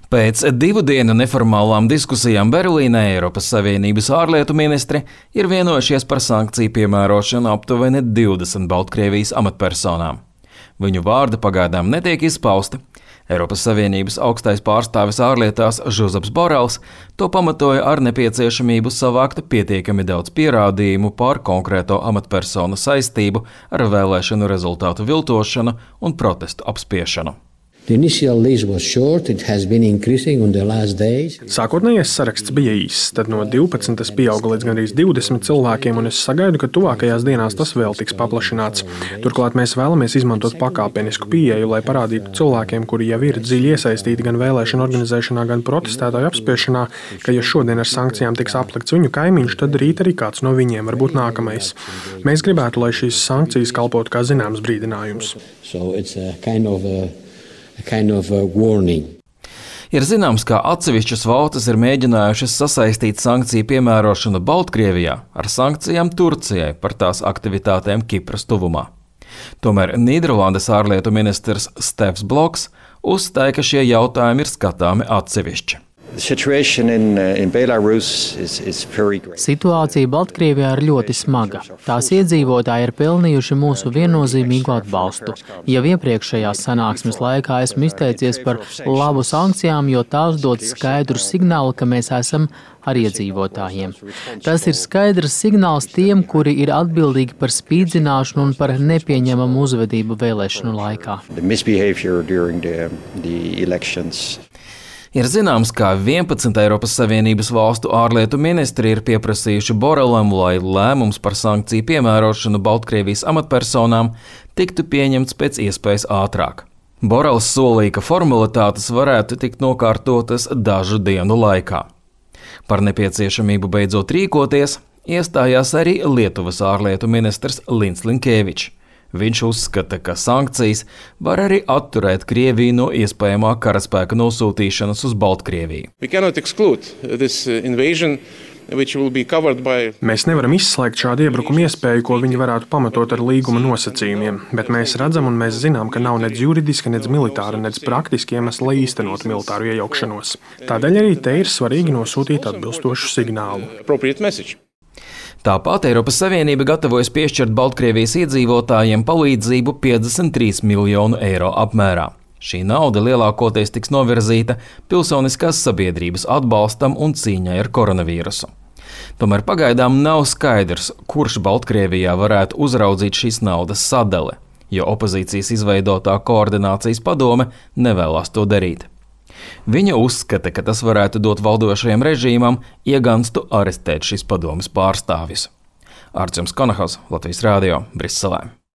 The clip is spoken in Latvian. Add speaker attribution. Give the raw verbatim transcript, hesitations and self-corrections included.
Speaker 1: Pēc divu dienu neformālām diskusijām Berlīnē Eiropas Savienības ārlietu ministri ir vienojušies par sankciju piemērošanu aptuveni divdesmit Baltkrievijas amatpersonām. Viņu vārdi pagaidām netiek izpausti. Eiropas Savienības augstais pārstāvis ārlietās Žozeps Borels to pamatoja ar nepieciešamību savākt pietiekami daudz pierādījumu par konkrēto amatpersonu saistību ar vēlēšanu rezultātu viltošanu un protestu apspiešanu.
Speaker 2: Sākotnējais saraksts bija īss, tad no divpadsmit tas pieauga līdz gandrīz divdesmit cilvēkiem, un es sagaidu, ka tuvākajās dienās tas vēl tiks paplašināts. Turklāt mēs vēlamies izmantot pakāpenisku pieeju, lai parādītu cilvēkiem, kuri jau ir dziļi iesaistīti gan vēlēšanu organizēšanā, gan protestētāju apspiešanā, ka ja šodien ar sankcijām tiks aplikts viņu kaimiņš, tad rīt arī kāds no viņiem var būt nākamais. Mēs gribētu, lai šīs sankcijas kalpotu kā zināms brīdinājums.
Speaker 3: So it's a kind of a Kind of a warning.
Speaker 1: Ir zināms, ka atsevišķas valstis ir mēģinājušas sasaistīt sankciju piemērošanu Baltkrievijā ar sankcijām Turcijai par tās aktivitātēm Kipras tuvumā. Tomēr Nīderlandes ārlietu ministrs Stefs Bloks uzstāja, ka šie jautājumi ir skatāmi atsevišķi.
Speaker 4: Situācija Baltkrievijā ir ļoti smaga. Tās iedzīvotāji ir pelnījuši mūsu viennozīmīgu atbalstu. Jau iepriekšējās sanāksmes laikā esmu izteicies par labu sankcijām, jo tās dod skaidru signālu, ka mēs esam ar iedzīvotājiem. Tas ir skaidrs signāls tiem, kuri ir atbildīgi par spīdzināšanu un par nepieņemamu uzvedību vēlēšanu laikā.
Speaker 1: Ir zināms, ka vienpadsmit Eiropas Savienības valstu ārlietu ministri ir pieprasījuši Borelam, lai lēmums par sankciju piemērošanu Baltkrievijas amatpersonām tiktu pieņemts pēc iespējas ātrāk. Borels solīja, ka formalitātes varētu tikt nokārtotas dažu dienu laikā. Par nepieciešamību beidzot rīkoties iestājās arī Lietuvas ārlietu ministrs Lins Linkevičs. Viņš uzskata, ka sankcijas var arī atturēt Krieviju no iespējamā karaspēka nosūtīšanas uz Baltkrieviju.
Speaker 2: Mēs nevaram izslēgt šādu iebrukumu iespēju, ko viņi varētu pamatot ar līguma nosacījumiem, bet mēs redzam un mēs zinām, ka nav nedz juridiska, nedz militāra, nedz praktiski iemesli, lai īstenotu militāru iejaukšanos. Tādēļ arī te ir svarīgi nosūtīt atbilstošu signālu.
Speaker 1: Tāpat Eiropas Savienība gatavojas piešķirt Baltkrievijas iedzīvotājiem palīdzību piecdesmit trīs miljonu eiro apmērā. Šī nauda lielākoties tiks novirzīta pilsoniskās sabiedrības atbalstam un cīņai ar koronavīrusu. Tomēr pagaidām nav skaidrs, kurš Baltkrievijā varētu uzraudzīt šīs naudas sadali, jo opozīcijas izveidotā koordinācijas padome nevēlas to darīt. Viņa uzskata, ka tas varētu dot valdošajam režīmam ieganstu arestēt šīs padomes pārstāvjus. Artjoms Konahos, Latvijas Rādio, Briselē.